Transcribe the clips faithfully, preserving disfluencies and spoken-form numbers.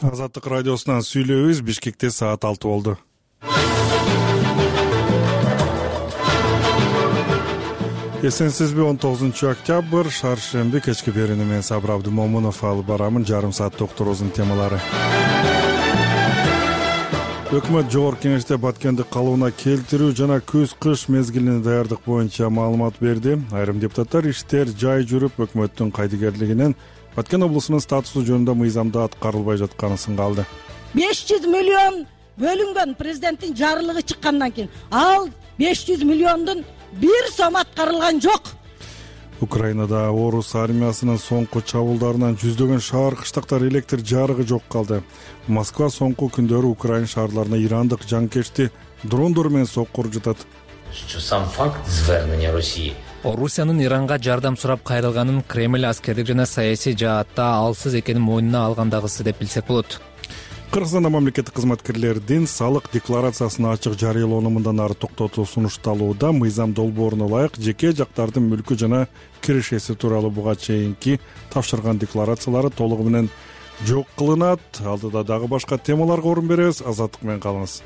Азаттык радиосунан сүйлөбүз. Бишкекте саат алты болду. Эсенсизби, он тогузунчу октябрь шаршемби кечки берүүнү мен Сабыр Абдымомунов алып барамын. Жарым саат докторубуздун темалары. Өкмөт жогорку кеңеште Баткенди калыбына келтирүү жана күз-кыш мезгилине даярдык боюнча маалымат берди. Айрым депутаттар иштер жай жүрүп, өкмөттүн кайдыгерлигинен Баткен облусунун статусу жөнүндө мыйзамда аткарылбай жатканын сынга алды. беш жүз миллион бөлүнгөн президенттин жарлыгы чыккандан кийин ал беш жүз миллиондун бир сом аткарылган жок. Украинада орус армиясынын соңку чабуулдарынан жүздөгөн шаар кыштактар электр жарыгы жок калды. Москва соңку күндөрү Украина шаарларына ирандык жанкечти дрондор менен соккур жатат. Сам факт звернения России Орусиянын Иранга жардам сурап кайрылганын Кремль аскердик жана саясий жаатта алсыз экенин мойнуна алгандагысы деп билсек болот. Кыргызстанда мамлекеттик кызматкерлердин салык декларациясын ачык жарыялоону мындан ары токтотуу сунушталууда. Мыйзам долбооруна ылайык жеке жактардын мүлкү жана кирешеси тууралуу буга чейинки тапшырган декларациялары толугу менен жок кылынат. Алдыда дагы башка темаларга орун беребиз. Азаттык менен калыңыз.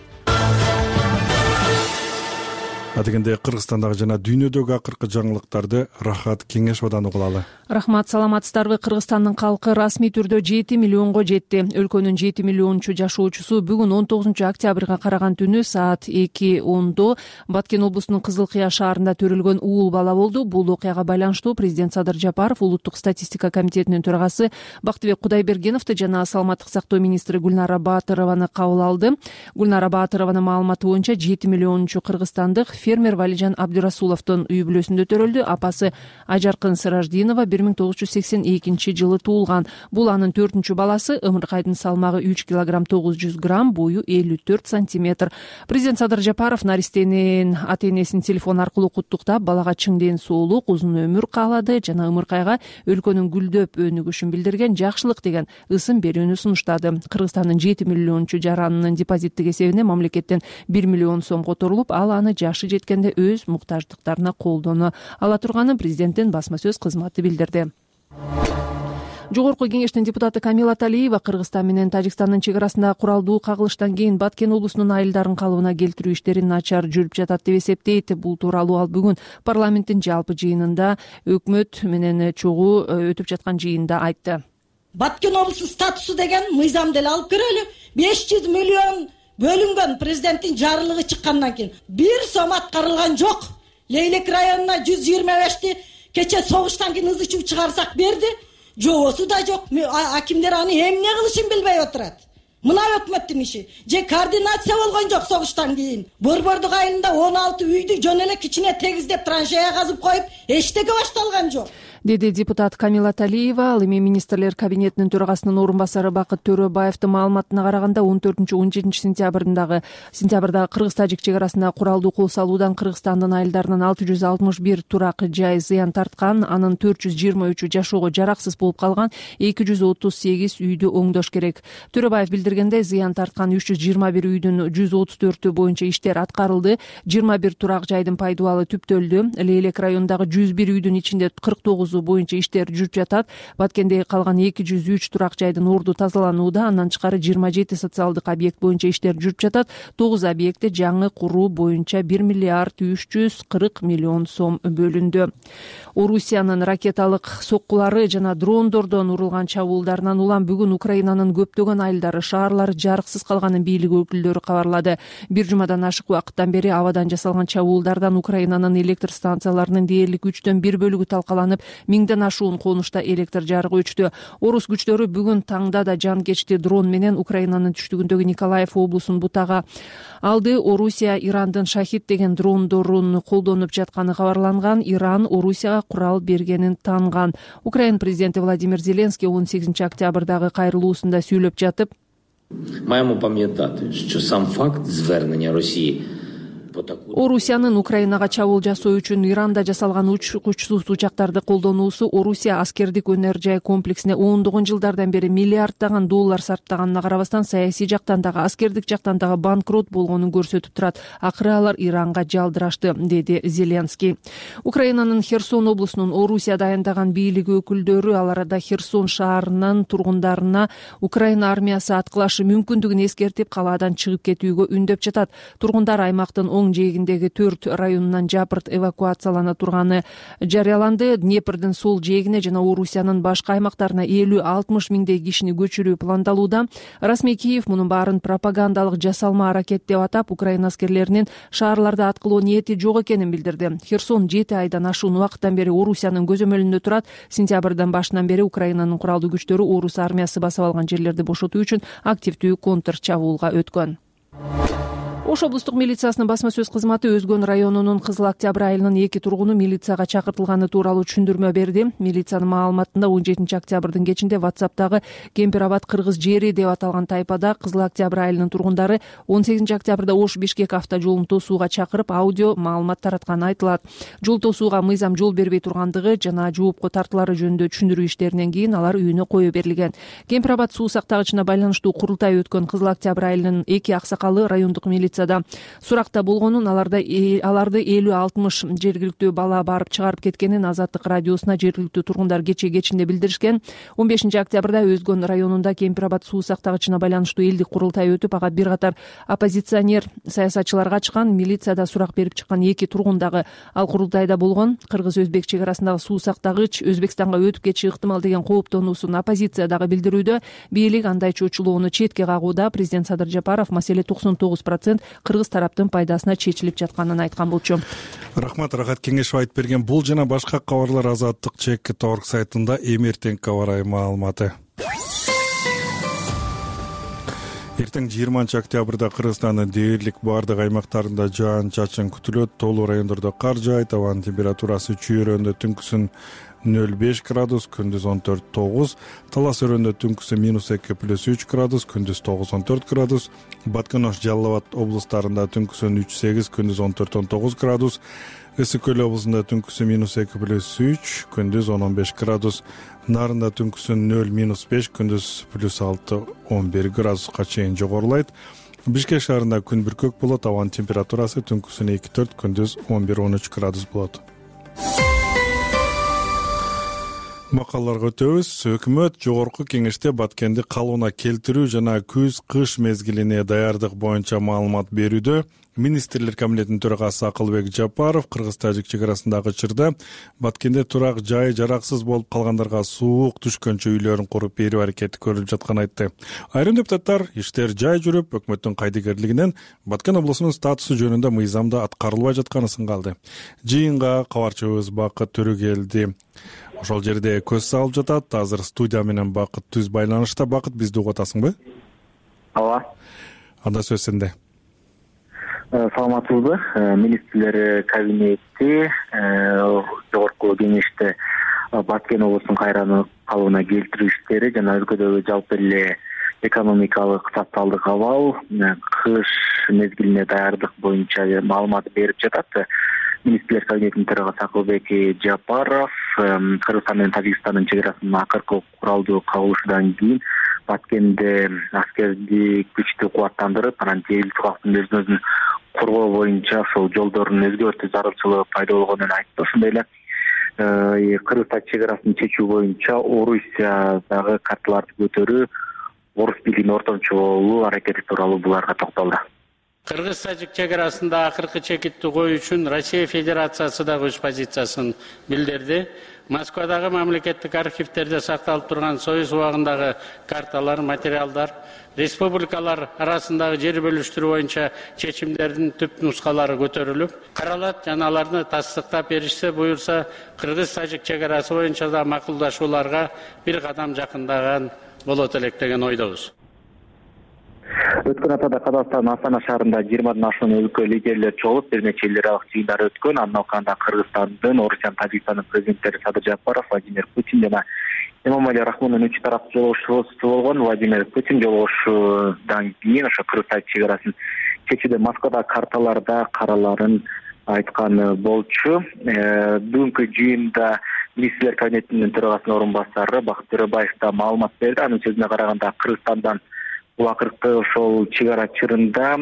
Адегенде Кыргызстандагы жана дүйнөдөгү акыркы жаңылыктарды Рахат Кеңешовдон угулалы. Рахмат, саламатсыздарбы? Кыргызстандын калкы расмий түрдө жети миллионго жетти. Өлкөнүн жети миллиончу жашоочусу бүгүн он тогузунчу октябрга караган түнү саат эки ондо Баткен облусунун Кызыл Кыя шаарында төрөлгөн уул бала болду. Бул окуяга байланыштуу президент Садыр Жапаров, улуттук статистика комитетинин төрагасы Бактыбек Кудайбергеновду жана саламаттык сактоо министри Гүлнара Баатырованы кабыл алды. Гүлнара Баатырованын маалыматы боюнча жети миллиончу кыргызстандык фермер Валижан Абдурасуловдун үй бүлөсүндө төрөлдү. Апасы Ажаркын Сыраждинова бир миң тогуз жүз сексен экинчи жылы туулган. Бул анын төртүнчү баласы. Ымыркайдын салмагы үч килограмм тогуз жүз грамм, бою элүү төрт сантиметр. Президент Садыр Жапаров наристенин ата энесин телефон аркылуу куттуктап, балага чың ден соолук, узун өмүр каалады жана Ымыркайга өлкөнүн гүлдөп өнүгүшүн билдирген жакшылык деген ысын берүүнү сунуштады. Кыргызстандын жети миллиончу жаранынын депозиттик эсебине мамлекеттен бир миллион сом которулуп, ал аны жашы жеткенде өз муктаждыктарына колдоно ала турганын президенттин басма сөз кызматы билдирди. Жогорку кеңештин депутаты Камила Талиева Кыргызстан менен Тажикстандын чек арасындагы куралдуу кагылыштан кийин Баткен облусунун айылдарын калыбына келтирүү иштери начар жүрүп жатат деп эсептейт. Бул тууралуу ал бүгүн парламенттин жалпы жыйынында өкмөт менен чогуу өтүп жаткан жыйында айтты. Баткен облусунун статусу деген мыйзамды эле алып көрөлү. беш жүз миллион бөлүнгөн президенттин жарлыгы чыккандан кийин бир сом аткарылган жок. Лейлек районуна жүз жыйырма бешти кече согуштан кийин ызы чуу чыгарсак берди. Жоосу да жок. Акимдер аны эмне кылышын билбей отурат. Мына өкмөттүн иши. Же координация болгон жок согуштан кийин. Борбордук айылында он алты үйдү жөн эле кичине тегиздеп траншея казып коюп, эчтеке башталган жок, деди депутат Камила Талиева. Ал эми министрлер кабинетинин төрагасынын орун басары Бакыт Төрөбаевдин маалыматына караганда он төртүнчү он жетинчи сентябрдагы сентябрдагы кыргыз-тажик чек арасында куралдуу кол салуудан Кыргызстандын айылдарынан алты жүз алтымыш бир турак жай зыян тарткан, анын төрт жүз жыйырма үчү жашоого жараксыз болуп калган, эки жүз отуз сегиз үйдү оңдош керек. Төрөбаев билдиргендей, зыян тарткан үч жүз жыйырма бир үйдүн жүз отуз төртү боюнча иштер аткарылды. жыйырма бир турак жайдын пайдубалы түптөлдү. Лейлек районундагы жүз бир үйдүн ичинде кырк тогузу боюнча иштер жүрүп жатат. Баткендеги калган эки жүз үч турак жайдын орду тазаланууда. Андан тышкары жыйырма жети социалдык объект боюнча иштер жүрүп жатат. тогуз объектте жаңы куруу боюнча бир миллиард үч жүз кырк миллион сом бөлүндү. Орусиянын ракеталык соккулары жана дрондордон урулган чабуулдарынан улам бүгүн Украинанын көптөгөн айылдары, шаарлары жарыксыз калганын бийлик өкүлдөрү кабарлады. Бир жумадан ашык убакыттан бери абадан жасалган чабуулдардан Украинанын электр станцияларынын дээрлик үчтөн бир бөлүгү талкаланып, миңден ашуун конушта электр жарыгы өчтү. Орус күчтөрү бүгүн таңда да жанкечти дрон менен Украинанын түштүгүндөгү Николаев облусун бутага алды. Орусия Ирандын Шахид деген дрондорун колдонуп жатканы кабарланган. Иран Орусияга курал бергенин таанган. Украина президенти Владимир Зеленский он сегизинчи октябрдагы кайрылуусунда сүйлөп жатып, маємо пам'ятати, що сам факт звернення Росії Орусиянын Украинага чабуул жасоо үчүн Иранда жасалган учкучсуз учактарды колдонуусу Орусия аскердик өнөр жай комплексине ондогон жылдардан бери миллиарддаган доллар сарптаганына карабастан саясий жактан дагы аскердик жактан дагы банкрот болгонун көрсөтүп турат. Акыры алар Иранга жалдырашты, деди Зеленский. Украинанын Херсон облусунун Орусия дайындаган бийлик өкүлдөрү ал арада Херсон шаарынын тургундарына Украина армиясы аткылашы мүмкүндүгүн эскертип, калаадан чыгып кетүүгө үндөп жатат. Тургундар аймактын оң жээгиндеги төрт районунан жапырт эвакуациялана турганы жарыяланды. Днепрдин сол жээгине жана Орусиянын башка аймактарына элүү алтымыш миңдей кишини көчүрүү пландалууда. Расмий Киев мунун баарын пропагандалык жасалма аракет деп атап, Украина аскерлеринин шаарларды аткылоо ниети жок экенин билдирди. Херсон жети айдан ашуун убакыттан бери Орусиянын көзөмөлүндө турат. Сентябрдын башынан бери Украинанын куралдуу күчтөрү Орус армиясы басып алган жерлерди бошотуу үчүн активдүү контр чабуулга өткөн. Ош облустук милициясынын басма сөз кызматы Өзгөн районунун Кызыл Октябрь айылынын эки тургуну милицияга чакыртылганы тууралуу түшүндүрмө берди. Милициянын маалыматында он жетинчи октябрдын кечинде WhatsApp'тагы Кемпир-Абад кыргыз жери деп аталган тайпада Кызыл Октябрь айылынын тургундары он сегизинчи октябрда Ош Бишкек авто жолун тосууга чакырып, аудио маалымат таратканы айтылат. Жол тосууга мыйзам жол бербей тургандыгы жана жоопко тартуулары жөнүндө түшүндүрүү иштеринен кийин алар үйүнө кое берилген. Кемпир-Абад суу сактагычына байланыштуу курултай өткөн Кызыл Октябрь айылынын эки аксакалы райондук милиция суракта болгонун, аларда аларды элүү алтымыш жергиликтүү бала барып чыгарып кеткенин Азаттык радиосуна жергиликтүү тургундар кечээ кечинде билдиришкен. он бешинчи октябрда Өзгөн районунда Кемпир-Абад суу сактагычына байланыштуу элдик курултай өтүп, ага бир катар оппозиционер саясатчылар качкан. Милицияда сурак берип чыккан эки тургун дагы ал курултайда болгон. Кыргыз-Өзбек чек арасындагы суу сактагыч Өзбекстанга өтүп кетиши ыктымал деген кооптонуусун оппозиция дагы билдирүүдө. Бийлик андай чочулоону четке кагууда. Президент Садыр Жапаров маселе токсон тогуз процент кыргыз тараптын пайдасына чечилип жатканын айткан болчу. Рахмат, Рахат Кеңешов айтып берген. Бул жана башка кабарлар Азаттык чекит точка орг сайтында эмертең кабарай маалыматы. Эртең жыйырманчы октябрда Кыргызстандын дээрлик бардык аймактарында жаан-чачын күтүлөт. Тоолуу райондордо кар жаайт. Абанын температурасы чүйөрөндө түнкүсүн нөл беш градус, күндүз он төрт тогуз, Талас өрөндө түнкүсү минус эки плюс үч градус, күндүз тогуз он төрт градус, Баткан-Ош, Жалал Абад облустарында түнкүсүн үч сегиз, күндүз он төрт он тогуз градус, Ысык Көл облусунда түнкүсү минус эки плюс үч, күндүз он он беш градус, Нарында түнкүсүн нөл минус беш, күндүз плюс алты он бир градуска чейин жогорулайт. Бишкек шаарында күн бүркөк болот, абанын температурасы түнкүсүн эки төрт, күндүз он бир он үч градус болот. Макалаларга өтөбүз. Өкмөт жогорку кеңеште Баткенди калыбына келтирүү жана күз-кыш мезгилине даярдык боюнча маалымат берүүдө. Министрлер кабинетинин төрагасы Акылбек Жапаров кыргыз-тажик чек арасындагы чырда Баткенде турак жай жараксыз болуп калгандарга суук түшкөнчө үйлөрүн куруп берүү аракети көрүлүп жатканын айтты. Айрым депутаттар иштер жай жүрүп, өкмөттүн кайдыгерлигинен Баткен облусунун статусу жөнүндө мыйзамда аткарылбай жатканын сынгалды. Жыйынга кабарчыбыз Бакыт Төрөгелди ошол жерде көз салып жатат. Азыр студия менен Бакыт түз байланышта. Бакыт, бизди угуп атасыңбы? Ооба. Анда сөз сенде. Саламатсызбы? Министрлер кабинети жогорку кеңеште Баткен облусунун кайра калыбына келтирүү иштери жана өлкөдөгү жалпы эле экономикалык социалдык абал, кыш мезгилине даярдык боюнча маалымат берип жатат. Министрлер кабинетинин төрагасы Акылбек Жапаров Кыргызстан менен Тажикстандын чек арасынын акыркы куралдуу кагылышынан кийин Баткенде аскердик күчтү кубаттандырып, анан жергиликтүү калктын өзүн өзүн коргоо боюнча ошол жолдордун өзгөртүү зарылчылыгы пайда болгонун айтты. Ошондой эле Кыргыз-Тажик чек арасын чечүү боюнча Орусиядагы карталарды көтөрүү, Орус бийлигине ортомчу аракети тууралуу буларга токтолду. Кыргыз-Тажик чек арасында акыркы чекитти коюу үчүн Россия Федерациясы дагы өз позициясын билдирди. Москвадагы мамлекеттик архивтерде сакталып турган Союз убагындагы карталар, материалдар, республикалар арасындагы жер бөлүштүрүү боюнча чечимдердин түп нускалары көтөрүлүп, каралат жана аларды тастыктап беришсе, буюрса, Кыргыз-Тажик чек арасы боюнча да макулдашууларга бир кадам жакындаган болот элек деген ойдобуз. Өткөн аптада Казакстандын Астана шаарында жыйырмадан ашуун өлкө лидерлери чогулуп, бир нече эл аралык жыйындар өткөн. Андан алканда Кыргызстандын, Орусиянын, Тажикстандын президенттери Садыр Жапаров, Владимир Путин жана Эмомали Рахмондун үч тараптуу жолугушуусу болгон. Владимир Путин жолугушуудан кийин ошо Кыргыз-Тажик чек арасын кечээде Москвадагы карталарда караларын айткан болчу. Бүгүнкү жыйында министрлер кабинетинин төрагасынын орун басары Бакыт Төрөбаев да маалымат берди. Анын сөзүнө караганда Кыргызстандан бул акыркы ошол чек ара чырында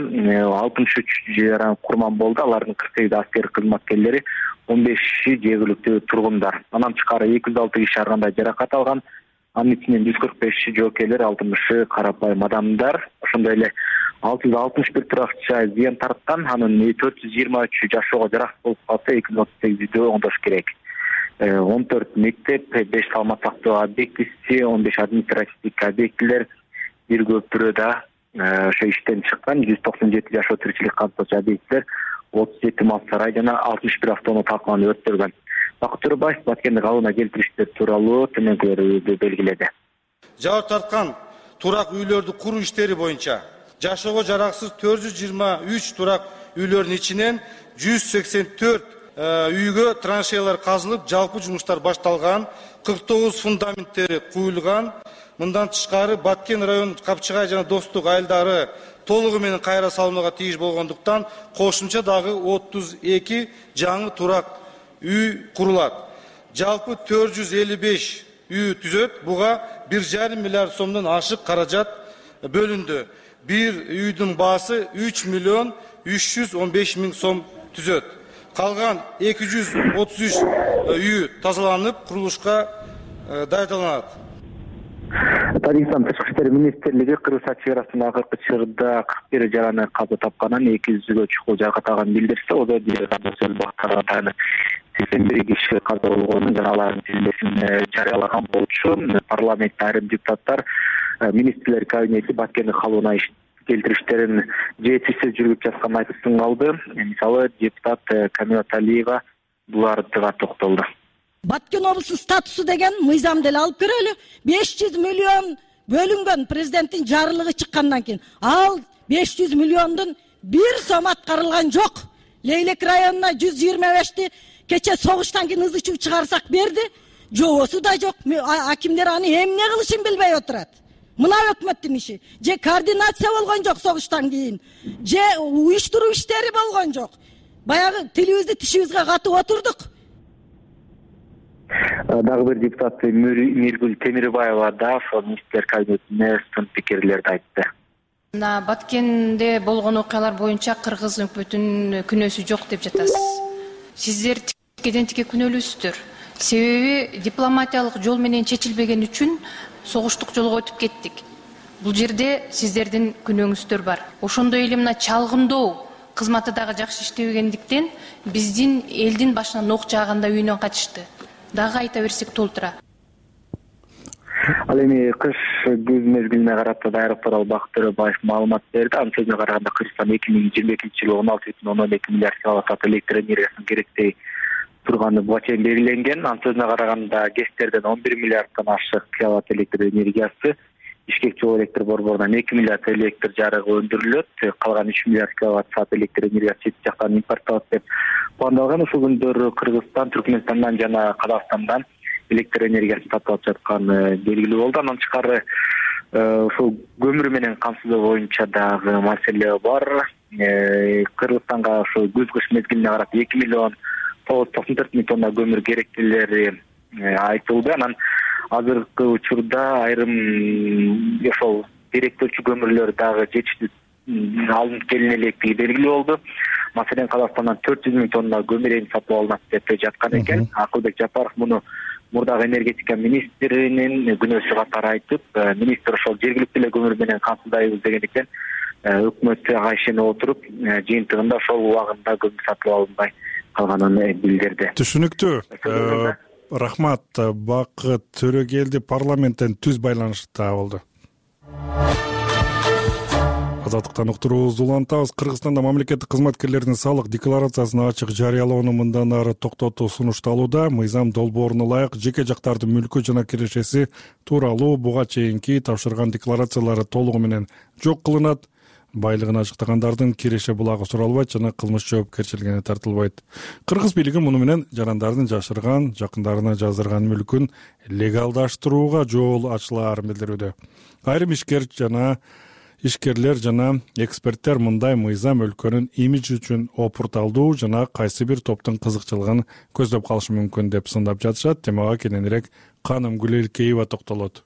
алтымыш үч жаран курман болду. Алардын кырк сегизи аскер кызматкерлери, он беши жергиликтүү тургундар. Андан тышкары эки жүз алты киши ар кандай жаракат алган. Анын ичинен жүз кырк беши жоокейлер, алтымышы карапайым адамдар. Ошондой эле алты жүз алтымыш бир туракча зыян тарткан. Анын төрт жүз жыйырма үчү жашоого жаракат болуп калса, эки жүз отуз сегизиде оңдош керек. он төрт мектеп, беш саламат сактоо объектиси, он беш административдик объектилер, бир көпүрөдө ошо иштен чыккан жүз токсон жети жашоо тиричилик камтоочу объекттер, отуз жети мал сарай жана алтымыш бир автоунаа талкаланып өрттөлгөн. Бакыт Төрөбаев Баткенди калыбына келтириштер тууралуу төмөнкүлөрдү белгиледи. Жабыр тарткан турак үйлөрдү куруу иштери боюнча жашоого жараксыз төрт жүз жыйырма үч турак үйлөрдүн ичинен жүз сексен төрт үйгө траншеялар казылып, жалпы жумуштар башталган, кырк тогуз фундаменттери куюлган. Мындан тышкары Баткен районунун Капчыгай жана Достук айылдары толугу менен кайра салынууга тийиш болгондуктан кошумча дагы отуз эки жаңы турак үй курулат. Жалпы төрт жүз элүү беш үй түзөт. Буга бир жарым миллиард сомдон ашык каражат бөлүндү. Бир үйдүн баасы үч миллион үч жүз он беш миң сом түзөт. Калган эки жүз отуз үч үй тазаланып, курулушка даярдалат. Тажикстан Тышкы иштер министрлиги Кыргызстан чек арасындагы акыркы чырда кырк бир жараны каза тапканын, эки жүзгө чукул жаракат алганын билдирсе, ода бир сексен бир киши каза болгонун жана алардын тизмесин жарыялаган болчу. Парламентте айрым депутаттар министрлер кабинети Баткендин калыбына келтириштерин жетишсиз жүргүп жатканын айтып сыңалды. Мисалы, депутат Камила Талиева булардыга токтолду. Баткен облусунун статусу деген мыйзам деле алып көрөлү. беш жүз миллион бөлүнгөн президенттин жарлыгы чыккандан кийин. Ал беш жүз миллиондун бир сом аткарылган жок. Лейлек районуна жүз жыйырма бешти кече согуштан кийин ызы чуу чыгарсак берди. Жоосу да жок. Акимдер аны эмне кылышын билбей отурат. Мына өкмөттүн иши. Же координация болгон жок согуштан кийин. Же уюштуруу иштери болгон жок. Баягы тилибизди тишибизге катып отурдук. Дагы бир депутат Миргүл Темирбаева да ошол министрлер кабинетине сын пикирлерди айтты. Мына Баткенде болгон окуялар боюнча кыргыз өкмөтүнүн күнөөсү жок деп жатасыз. Сиздер тикеден тике күнөөлүүсүздөр. Себеби дипломатиялык жол менен чечилбеген үчүн согуштук жолго өтүп кеттик. Бул жерде сиздердин күнөөңүздөр бар. Ошондой эле мына чалгындоо кызматы дагы жакшы иштебегендиктен биздин элдин башынан ок жааганда үйүнөн качышты. Дагы айта берсек толтура. Ал эми кыш күз мезгилине карата даярдык тууралуу Бакыт Төрөбаев маалымат берди. Анын сөзүнө караганда Кыргызстан эки миң жыйырма экинчи жылы он алты бүтүн ондон эки миллиард киловатт электр энергиясын керектей турганы буга чейин белгиленген. Анын сөзүнө караганда ГЭСтерден он бир миллиарддан ашык киловатт электр энергиясы, Бишкек чогуу электр борборунан эки миллиард электр жарыгы өндүрүлөт, калган үч миллиард киловатт саат электр энергиясы чет жактан импортталат деп пландалган. Ушул күндөр Кыргызстан Түркмөнстандан жана Казакстандан электр энергиясын сатып алып жатканы белгилүү болду. Андан тышкары ушул көмүр менен камсыздоо боюнча дагы маселе бар. Кыргызстанга ушул күз-кыш мезгилине карата эки миллион тогуз жүз токсон төрт миң тонна көмүр керектүүлери айтылды. Анан азыркы учурда айрым ошол керектөөчү көмүрлөр дагы жетиштүү алынып келине электиги белгилүү болду. Маселен, Казакстандан төрт жүз миң тонна көмүр сатып алынат деп жаткан экен. Акылбек Жапаров муну мурдагы энергетика министринин күнөөсү катары айтып, министр ошол жергиликтүү эле көмүр менен камсыздайбыз дегендиктен өкмөт ага ишене отуруп, жыйынтыгында ошол убагында көмүр сатып алынбай калганын билдирди. Түшүнүктүү. Рахмат. Бакыт Төрөгелди парламенттен түз байланышта болду. Азаттыктан уктуруубузду улантабыз. Кыргызстанда мамлекеттик кызматкерлердин салык декларациясын ачык жарыялоону мындан ары токтотуу сунушталууда. Мыйзам долбооруна ылайык жеке жактардын мүлкү жана кирешеси тууралуу буга чейинки тапшырган декларациялары толугу менен жок кылынат. Байлыгын ачыктагандардын киреше булагы суралбайт жана кылмыш жоопкерчилигине тартылбайт. Кыргыз бийлиги муну менен жарандардын жашырган, жакындарына жаздырган мүлкүн легалдаштырууга жол ачылаарын билдирүүдө. Айрым ишкер жана ишкерлер жана эксперттер мындай мыйзам өлкөнүн имиджи үчүн опурталдуу жана кайсы бир топтун кызыкчылыгын көздөп калышы мүмкүн деп сындап жатышат. Темага кененирээк Каным Гүлелкеева токтолот.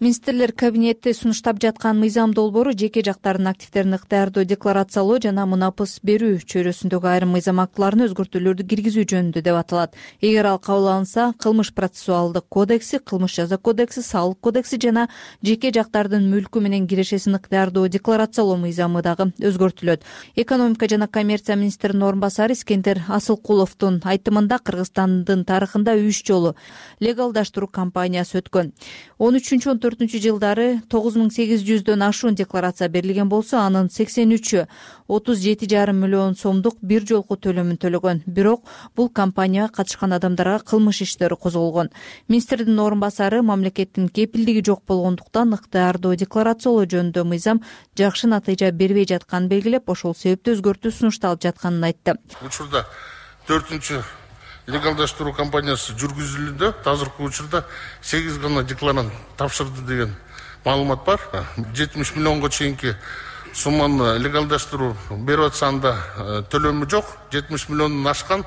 Министрлер кабинети сунуштап жаткан мыйзам долбоору жеке жактардын активдерин ыктыярдуу декларациялоо жана мунапыс берүү чөйрөсүндөгү айрым мыйзам актыларына өзгөртүүлөрдү киргизүү жөнүндө деп аталат. Эгер ал кабыл алынса, кылмыш процессуалдык кодекси, кылмыш жаза кодекси, салык кодекси жана жеке жактардын мүлкү менен кирешесин ыктыярдуу декларациялоо мыйзамы дагы өзгөртүлөт. Экономика жана коммерция министринин орун басары Искендер Асылкуловдун айтымында Кыргызстандын тарыхында үч жолу легалдаштыруу кампаниясы өткөн. он үчүнчү он төртүнчү жылдары тогуз миң сегиз жүздөн ашуун декларация берилген болсо, анын сексен үчү отуз жети жарым миллион сомдук бир жолку төлөмүн төлөгөн. Бирок бул кампанияга катышкан адамдарга кылмыш иштери козголгон. Министрдин орун басары мамлекеттин кепилдиги жок болгондуктан ыктыярдуу декларациялоо жөнүндө мыйзам жакшы натыйжа бербей жатканын белгилеп, ошол себептен өзгөртүү сунушталып жатканын айтты. Учурда төртүнчү легалдаштыруу кампаниясы жүргүзүлүүдө, азыркы учурда сегиз гана декларант тапшырды деген маалымат бар. жетимиш миллионго чейинки сумманы легалдаштыруу берип атса, анда төлөмү жок. жетимиш миллиондон ашкан,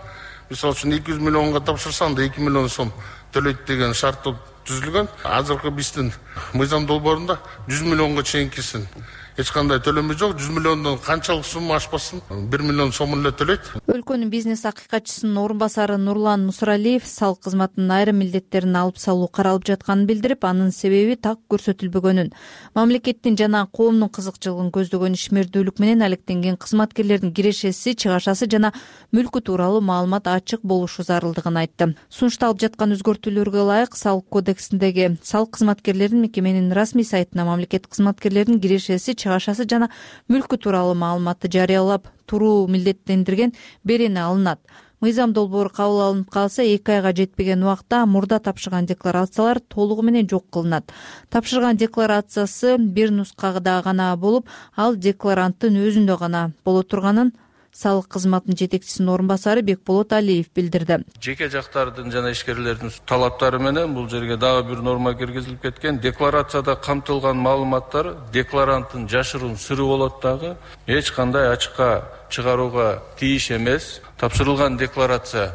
мисалы үчүн эки жүз миллионго тапшырса, анда эки миллион сом төлөйт деген шарт түзүлгөн. Азыркы биздин мыйзам долбоорунда жүз миллионго чейинкисин эч кандай төлөмү жок. жүз миллиондон канчалык сумма ашпасын, бир миллион сомун эле төлөйт. Өлкөнүн бизнес акыйкатчысынын орун басары Нурлан Мусралиев салык кызматынын айрым милдеттерин алып салуу каралып жатканын билдирип, анын себеби так көрсөтүлбөгөнүн, мамлекеттин жана коомдун кызыкчылыгын көздөгөн ишмердүүлүк менен алектенген кызматкерлердин кирешеси, чыгашасы жана мүлкү тууралуу маалымат ачык болушу зарылдыгын айтты. Сунушталып жаткан өзгөртүүлөргө ылайык салык кодексиндеги салык кызматкерлерин мекеменин расмий сайтына мамлекеттик кызматкерлердин кирешеси, чыгашасы жана мүлкү тууралуу маалыматты жарыялап туруу милдеттендирген берени алынат. Мыйзам долбоору кабыл алынып калса, эки айга жетпеген убакта мурда тапшырган декларациялар толугу менен жок кылынат. Тапшырган декларациясы бир нускада гана болуп, ал декларанттын өзүндө гана боло турганын салык кызматынын жетекчисинин орун басары Бекболот Алиев билдирди. Жеке жактардын жана ишкерлердин талаптары менен бул жерге дагы бир норма киргизилип кеткен. Декларацияда камтылган маалыматтар декларанттын жашыруун сыры болот дагы, эч кандай ачыкка чыгарууга тийиш эмес. Тапшырылган декларация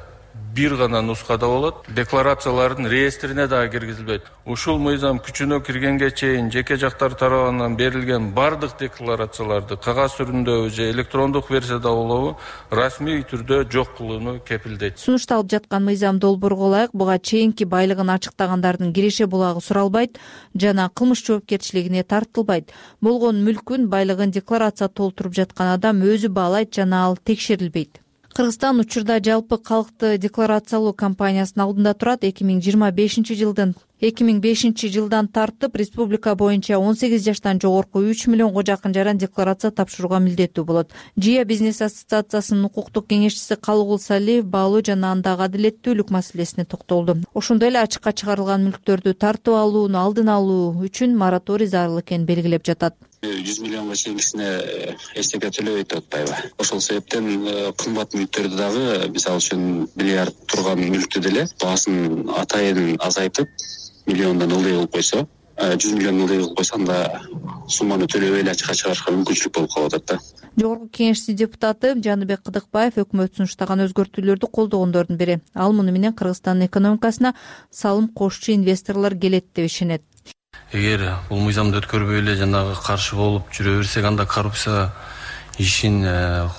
бир гана нускада болот. Декларациялардын реестрине дагы киргизилбейт. Ушул мыйзам күчүнө киргенге чейин жеке жактар тарабынан берилген бардык декларацияларды кагаз түрүндө же электрондук версияда болобу расмий түрдө жок кылууну кепилдейт. Сунушталып жаткан мыйзам долбоорго ылайык буга чейинки байлыгын ачыктагандардын киреше булагы суралбайт жана кылмыш жоопкерчилигине тартылбайт. Болгон мүлкүн, байлыгын декларация толтуруп жаткан адам өзү баалайт жана ал текшерилбейт. Кыргызстан учурда жалпы калкты декларациялоо кампаниясынын алдында турат. эки миң жыйырма бешинчи жылдын эки миң бешинчи жылдан тартып республика боюнча он сегиз жаштан жогорку үч миллионго жакын жаран декларация тапшырууга милдеттүү болот. Жия бизнес ассоциациясынын укуктук кеңешчиси Калыгул Салиев баалоо жана андагы адилеттүүлүк маселесине токтолду. Ошондой эле ачыкка чыгарылган мүлктөрдү тартып алууну алдын алуу үчүн мораторий зарыл экенин белгилеп жатат. жүз миллионго чейинкисине эчтеке төлөбөйт деп атпайбы. Ошол себептен кымбат мүлктөрдү дагы, мисалы үчүн миллиард турган мүлктү деле баасын атайын азайтып, миллиондон ылдый кылып койсо, жүз миллион ылдый кылып койсо, анда сумманы төлөбөй эле ачыкка чыгарышка мүмкүнчүлүк болуп калып атат да. Жогорку кеңештин депутаты Жаныбек Кыдыкбаев өкмөт сунуштаган өзгөртүүлөрдү колдогондордун бири. Ал муну менен Кыргызстандын экономикасына салым кошчу инвесторлор келет деп ишенет. Эгер бул мыйзамды өткөрбөй эле жанагы каршы болуп жүрө берсек, анда коррупция ишин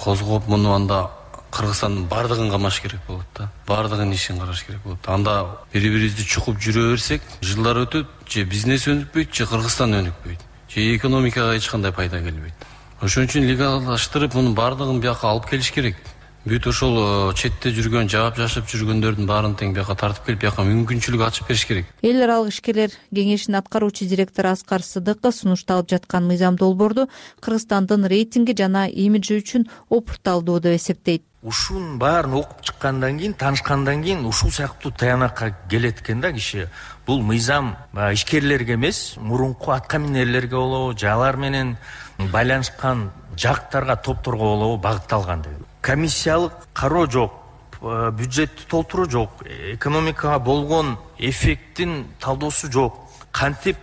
козгоп, муну анда Кыргызстандын бардыгын камаш керек болот да. Бардыгын ишин караш керек болот. Анда бири-бирибизди чукуп жүрө берсек, жылдар өтөт, же бизнес өнүкпөйт, же Кыргызстан өнүкпөйт, же экономикага эч кандай пайда келбейт. Ошон үчүн легалдаштырып, мунун бардыгын бияка алып келиш керек. Бүт ошол четте жүргөн, жаап жашап жүргөндөрдүн баарын тең бияка тартып келип, бияка мүмкүнчүлүк ачып бериш керек. Эл аралык ишкерлер кеңешинин аткаруучу директору Аскар Сыдыков сунушталып жаткан мыйзам долбоорду Кыргызстандын рейтинги жана имиджи үчүн опурталдуу деп эсептейт. Ушунун баарын окуп чыккандан кийин, таанышкандан кийин ушул сыяктуу таянакка келет экен да киши. Бул мыйзам ишкерлерге эмес, мурунку атка минерлерге болобу, же алар менен байланышкан жактарга, топторго болобу багытталган деп. Комиссиялык кароо жок, бюджетти толтуруу жок, экономикага болгон эффекттин талдоосу жок. Кантип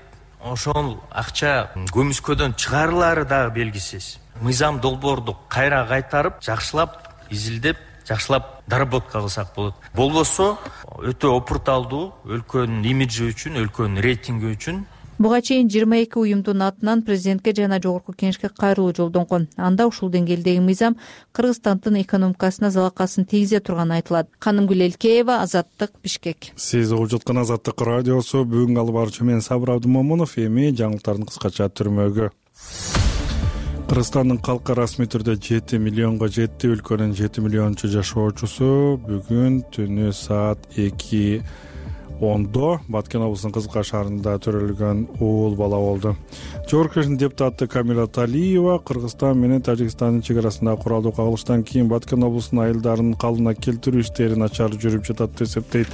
ошол акча көмүскөдөн чыгарылаары дагы белгисиз. Мыйзам долбоорду кайра кайтарып, жакшылап, изилдеп, жакшылап доработка кылсак болот. Болбосо өтө опурталдуу өлкөнүн имиджи үчүн, өлкөнүн рейтинги үчүн. Буга чейин жыйырма эки уюмдун атынан президентке жана жогорку кеңешке кайрылуу жолдонгон. Анда ушул деңгээлдеги мыйзам Кыргызстандын экономикасына залакасын тийгизе турганы айтылат. Канымгүл Элкеева, Азаттык, Бишкек. Сиз угуп жаткан Азаттык радиосу. Бүгүн алып баруучу мен Сабыр Абдымомунов. Эми жаңылыктардын кыскача түрмөгү. Кыргызстандын калкы расмий түрдө жети миллионго жетти. Өлкөнүн жети миллиончу жашоочусу бүгүн түнү саат эки ондо Баткен облусунун Кызылкаа шаарында төрөлгөн уул бала болду. Жогорку Кеңештин депутаты Камила Талиева Кыргызстан менен Тажикстандын чек арасындагы куралдуу кагылыштан кийин Баткен облусунун айылдарын калыбына келтирүү иштери начар жүрүп жатат деп эсептейт.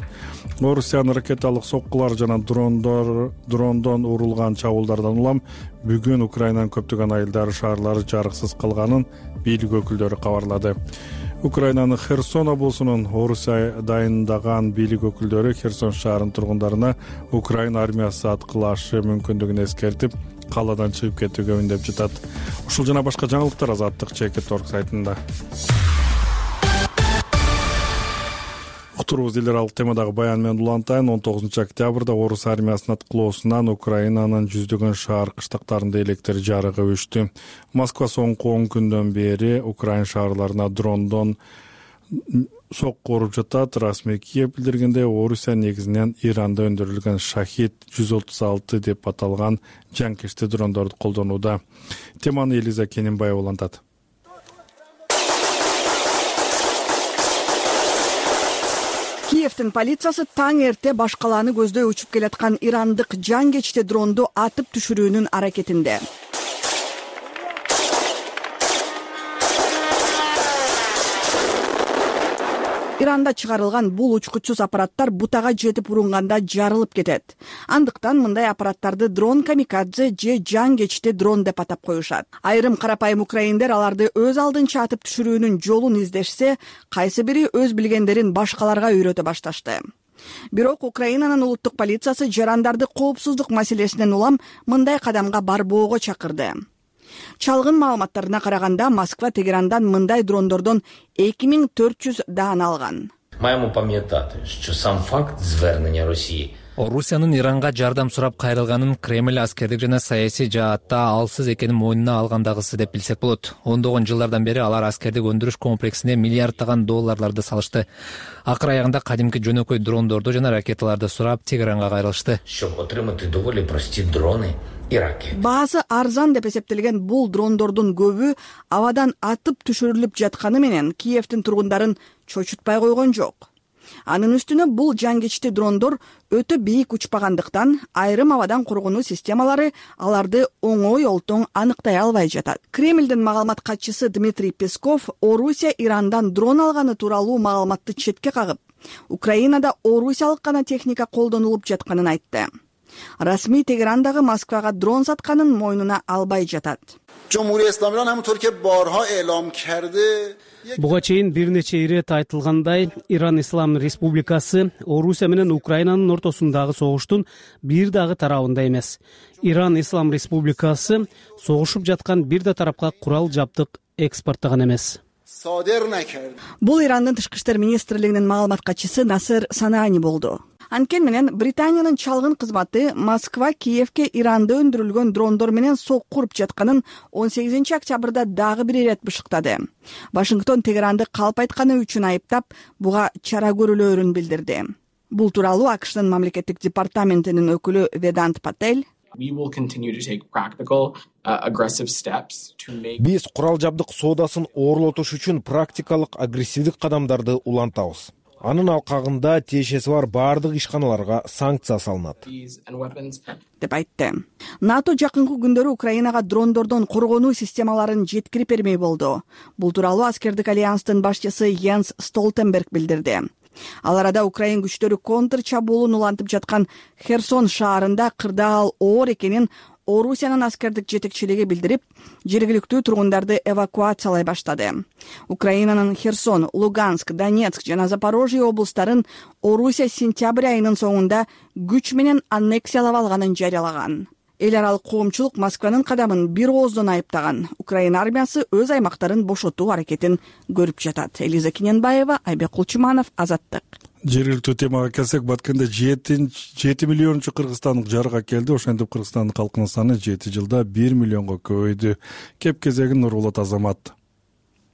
Орусиянын ракеталык соккулар жана дрондор дрондон урулган чабуулдардан улам бүгүн Украинанын көптөгөн айылдары, шаарлары жарыксыз калганын бийлик өкүлдөрү кабарлады. Украинанын Херсон облусунун Орусия дайындаган бийлик өкүлдөрү Херсон шаарынын тургундарына Украина армиясы аткылашы мүмкүндүгүн эскертип, калаадан чыгып кетүүгө үндөп жатат. Ушул жана башка жаңылыктар Азаттык чекит орг сайтында. Уктурубуз элдер алып темадагы баян менен улантайын. он тогузунчу октябрда Орус армиясынын аткылоосунан Украинанын жүздөгөн шаар кыштактарында электр жарыгы өчтү. Москва соңку он күндөн бери Украина шаарларына дрондон сокку уруп жатат. Расмий Киев билдиргендей, Орусия негизинен Иранда өндүрүлгөн Шахид жүз отуз алты деп аталган жанкечти дрондорду колдонууда. Теманы Элиза Кененбаева улантат. Киевдин полициясы таң эрте баш калааны көздөй учуп келаткан ирандык жангечти дронду атып түшүрүүнүн аракетинде. Иранда чыгарылган бул учкучсуз аппараттар бутага жетип урунганда жарылып кетет. Андыктан мындай аппараттарды дрон камикадзе же жангечти дрон деп атап коюшат. Айрым карапайым украиндер аларды өз алдынча атып түшүрүүнүн жолун издешсе, кайсы бири өз билгендерин башкаларга үйрөтө башташты. Бирок Украинанын улуттук полициясы жарандарды коопсуздук маселесинен улам мындай кадамга барбоого чакырды. Чалгын маалыматтарына караганда, Москва Тегерандан мындай дрондордон эки миң төрт жүз даана алган. Маємо пам'ятати, що сам факт звернення Росії Орусиянын Иранга жардам сурап кайрылганын Кремль аскердик жана саясий жаатта алсыз экенин мойнуна алгандагысы деп билсек болот. ондогон жылдардан бери алар аскердик өндүрүш комплексине миллиарддаган долларларды салышты. Акыр аягында кадимки жөнөкөй дрондорду жана ракеталарды сурап Тегеранга кайрылышты. Щоб отримати доволі прості дрони и ракети. Баасы арзан деп эсептелген бул дрондордун көбү абадан атып түшүрүлүп жатканы менен Киевдин тургундарын чочутпай койгон жок. Анын үстүнө бул жангечти дрондор өтө бийик учпагандыктан айрым абадан коргонуу системалары аларды оңой олтоң аныктай албай жатат. Кремлдин маалымат катчысы Дмитрий Песков Орусия Ирандан дрон алганы тууралуу маалыматты четке кагып, Украинада орусиялык гана техника колдонулуп жатканын айтты. Расмий Тегерандагы Москвага дрон сатканын мойнуна албай жатат. Буга чейин бир нече ирет айтылгандай, Иран Ислам Республикасы Орусия менен Украинанын ортосундагы согуштун бир дагы тарабында эмес. Иран Ислам Республикасы согушуп жаткан бир да тарапка курал жабдык экспорттогон эмес. Бул Ирандын тышкы иштер министрлигинин маалымат катчысы Насер Санаани болду. Анткени менен Британиянын чалгын кызматы Москва Киевке Иранда өндүрүлгөн дрондор менен сокку уруп жатканын он сегизинчи октябрда дагы бир ирет бышыктады. Вашингтон Тегеранды калп айтканы үчүн айыптап, буга чара көрүлөөрүн билдирди. Бул тууралуу АКШнын мамлекеттик департаментинин өкүлү Ведант Патель Биз курал жабдык соодасын оорлотуш үчүн практикалык агрессивдик кадамдарды улантабыз. Анын алкагында тиешеси бар баардык ишканаларга санкция салынат деп айтты. НАТО жакынкы күндөрү Украинага дрондордон коргонуу системаларын жеткирип бермей болду. Бул тууралуу аскердик альянстын башчысы Йенс Столтенберг билдирди. Ал арада Украин күчтөрү контр чабуулун улантып жаткан Херсон шаарында кырдаал оор экенин Орусиянын аскердик жетекчилиги билдирип, жергиликтүү тургундарды эвакуациялай баштады. Украинанын Херсон, Луганск, Донецк жана Запорожье облустарын Орусия сентябрь айынын соңунда күч менен аннексиялап алганын жарыялаган. эл аралык коомчулук Москванын кадамын бир ооздон айыптаган. Украина армиясы өз аймактарын бошотуу аракетин көрүп жатат. Элиза Кененбаева, Айбек Кулчуманов, Азаттык. Жергиликтүү темага келсек, Баткенде жети миллиончу кыргызстандык жарыга келди. Ошентип Кыргызстандын калкынын саны жети жылда бир миллионго көбөйдү. Кеп кезегин Нурболот Азамат.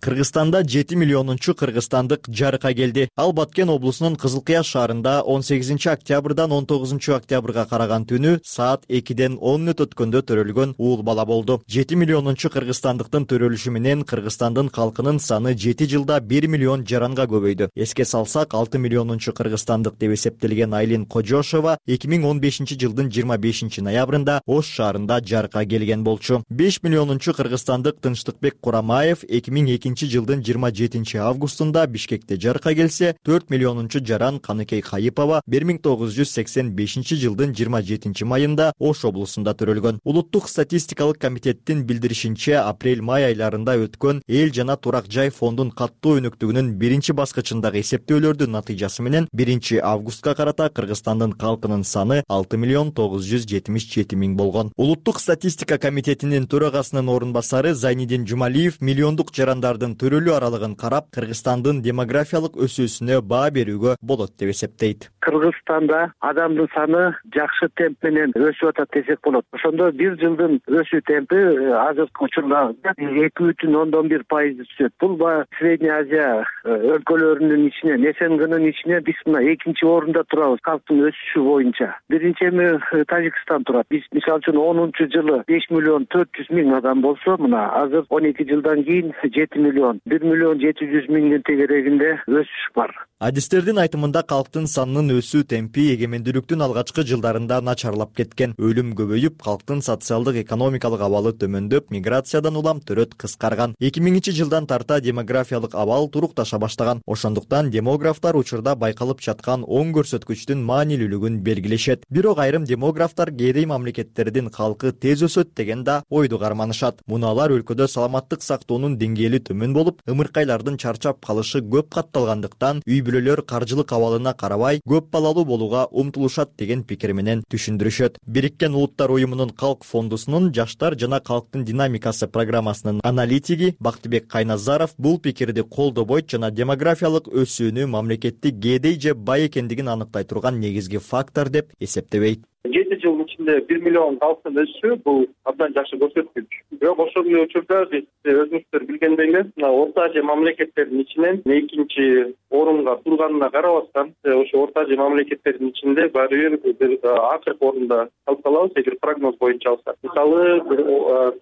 Кыргызстанда жети миллионунчу кыргызстандык жарыкка келди. Ал Баткен облусунун Кызыл Кыяр шаарында он сегизинчи октябрдан он тогузунчу октябрга караган түнү саат экиден он мүнөт өткөндө төрөлгөн уул бала болду. жети миллионунчу кыргызстандыктын төрөлүшү менен Кыргызстандын калкынын саны жети жылда бир миллион жаранга көбөйдү. Эске салсак, алты миллионунчу кыргызстандык деп эсептелген Айлин Кожошова эки миң он бешинчи жылдын жыйырма бешинчи ноябрында Ош шаарында жарыкка келген болчу. беш миллионунчу кыргызстандык Тынчтыкбек Курамаев эки миң экинчи жылдын жыйырма жетинчи августунда Бишкекте жарыкка келсе, төрт миллионунчу жаран Каныкей Кайыпова бир миң тогуз жүз сексен бешинчи жылдын жыйырма жетинчи майында Ош облусунда төрөлгөн. Улуттук статистикалык комитеттин билдиришинче, апрель-май айларында өткөн эл жана турак жай фондун каттоо өнүктүгүнүн биринчи баскычындагы эсептөөлөрдүн натыйжасы менен биринчи августка карата Кыргызстандын калкынын саны алты миллион тогуз жүз жетимиш жети миң болгон. Улуттук статистика комитетинин төрагасынын орун басары Зайнидин Жумалиев миллиондук жарандардын төрөлүү аралыгын карап, Кыргызстандын демографиялык өсүүсүнө баа берүүгө болот деп эсептейт. Кыргызстанда адамдын саны жакшы темп менен өсүп атат десек болот. Ошондо бир жылдын өсүү темпи азыркы учурда эки бүтүн ондон бир пайыз түшөт. Бул баягы Средняя Азия өлкөлөрүнүн ичинен, СНГнын ичинен биз мына экинчи орунда турабыз калктын өсүшү боюнча. Биринчи эми Тажикстан турат. Биз мисалы үчүн онунчу жылы беш миллион төрт жүз миң адам болсо, мына азыр он эки жылдан кийин жети миллион, бир миллион жети жүз миңдин тегерегинде өсүш бар. Адистердин айтымында калктын санынын өсүү темпи эгемендүүлүктүн алгачкы жылдарында начарлап кеткен. Өлүм көбөйүп, калктын социалдык экономикалык абалы төмөндөп, миграциядан улам төрөт кыскарган. эки миңинчи жылдан тарта демографиялык абал турукташа баштаган. Ошондуктан демографтар учурда байкалып жаткан оң көрсөткүчтүн маанилүүлүгүн белгилешет. Бирок айрым демографтар кээде мамлекеттердин калкы тез өсөт деген да ойду карманышат. Муну алар өлкөдө саламаттык сактоонун деңгээли төмөн болуп, ымыркайлардын чарчап калышы көп катталгандыктан үй бүлөлөр каржылык абалына карабай көп балалуу болууга умтулушат деген пикир менен түшүндүрүшөт. Бириккен Улуттар уюмунун Калк фондусунун жаштар жана калктын динамикасы программасынын аналитиги Бактыбек Кайназаров бул пикирди колдобойт жана демографиялык өсүүнү мамлекеттик кээдей же бай экендигин аныктай турган негизги фактор деп эсептебейт. жети жылдын ичинде бир миллион калктын өсүшү бул абдан жакшы көрсөткүч. Бирок ошол учурда биз өзүңүздөр билгендей эле Орто Азия мамлекеттеринин ичинен экинчи орунга турганына карабастан, ошо Орто Азия мамлекеттеринин ичинде баары бир акыркы орунда калып калабыз эгер прогноз боюнча алсак. Мисалы,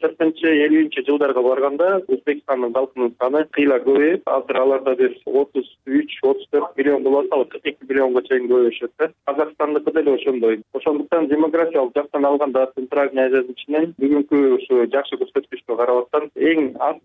кыркынчы элүүнчү жылдарга барганда Өзбекстандын калкынын саны кыйла көбөйүп, азыр аларда бир отуз үч отуз төрт миллион болуп атат, кырк эки миллионго чейин көбөйүшөт да. Казакстандыкы деле ошондой. Ошондуктан демографиялык жактан алганда Центральный Азиянын ичинен бүгүнкү ушу жакшы көрсөткүчкө карабастан эң аз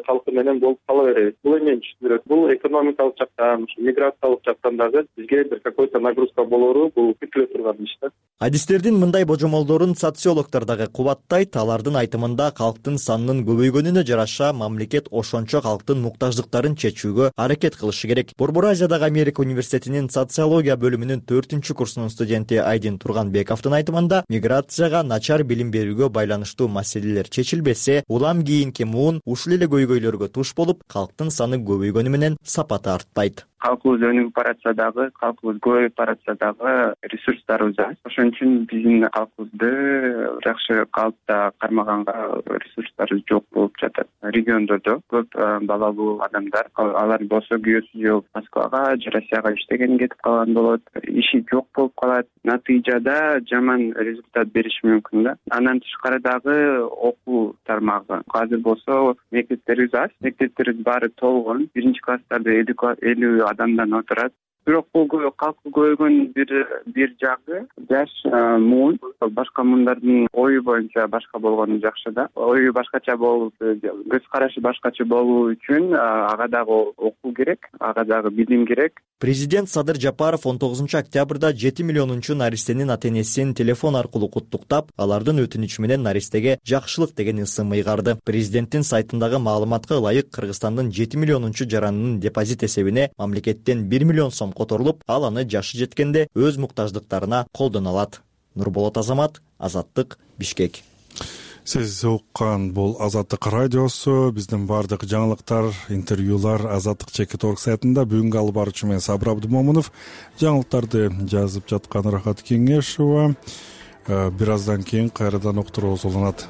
калкы менен болуп кала беребиз. Бул эмнени түшүндүрөт? Бул экономикалык жактан, миграциялык жактан дагы бизге бир какой-то нагрузка болору бул күтүлө турган иш да. Адистердин мындай божомолдорун социологдор дагы кубаттайт. Алардын айтымында калктын санынын көбөйгөнүнө жараша мамлекет ошончо калктын муктаждыктарын чечүүгө аракет кылышы керек. Борбор Азиядагы Америка университетинин социология бөлүмүнүн төртүнчү курсунун студенти Айдин Турганбековдун айтымында, миграцияга, начар билим берүүгө байланыштуу маселелер чечилбесе, улам кийинки муун ушул эле көйгөйлөргө туш болуп, калктын саны көбөйгөнү менен сапаты артпайт. Калкыбыз өнүгүп баратса дагы, калкыбыз көбөйүп баратса дагы ресурстарыбыз аз. Ошон үчүн биздин калкыбызды жакшы калыпта кармаганга ресурстарыбыз жок болуп жатат. Региондордо көп балалуу адамдар, алар болсо күйөөсү жок Москвага же Россияга иштеген кетип калган болот, иши жок болуп калат. Натыйжада жаман результат бериши мүмкүн да. Андан тышкары дагы окуу тармагы. Азыр болсо мектептерибиз аз, мектептерибиз баары толгон. Биринчи класстарда элүү адамдан отурат. Бирок бул калкы көбөйгөн бир бир жагы жаш муун, башка муундардын ою боюнча башка болгону жакшы да. Ою башкача болуп, көз карашы башкача болуу үчүн ага дагы окуу керек, ага дагы билим керек. Президент Садыр Жапаров он тогузунчу октябрда жети миллионунчу наристенин ата-энесин телефон аркылуу куттуктап, алардын өтүнүчү менен наристеге жакшылык деген ысым ыйгарды. Президенттин сайтындагы маалыматка ылайык, Кыргызстандын жети миллионунчу жаранынын депозит эсебине мамлекеттен бир миллион сом которулуп, ал аны жашы жеткенде өз муктаждыктарына колдоно алат. Нурболот Азамат, Азаттык, Бишкек. Сиз уккан бул Азаттык радиосу. Биздин баардык жаңылыктар, интервьюлар Азаттык чекит орг сайтында. Бүгүнкү алып баруучу мен Сабыр Абдымомунов. Жаңылыктарды жазып жаткан Рахат Кеңешова. Бир аздан кийин кайрадан уктуруубуз уланат.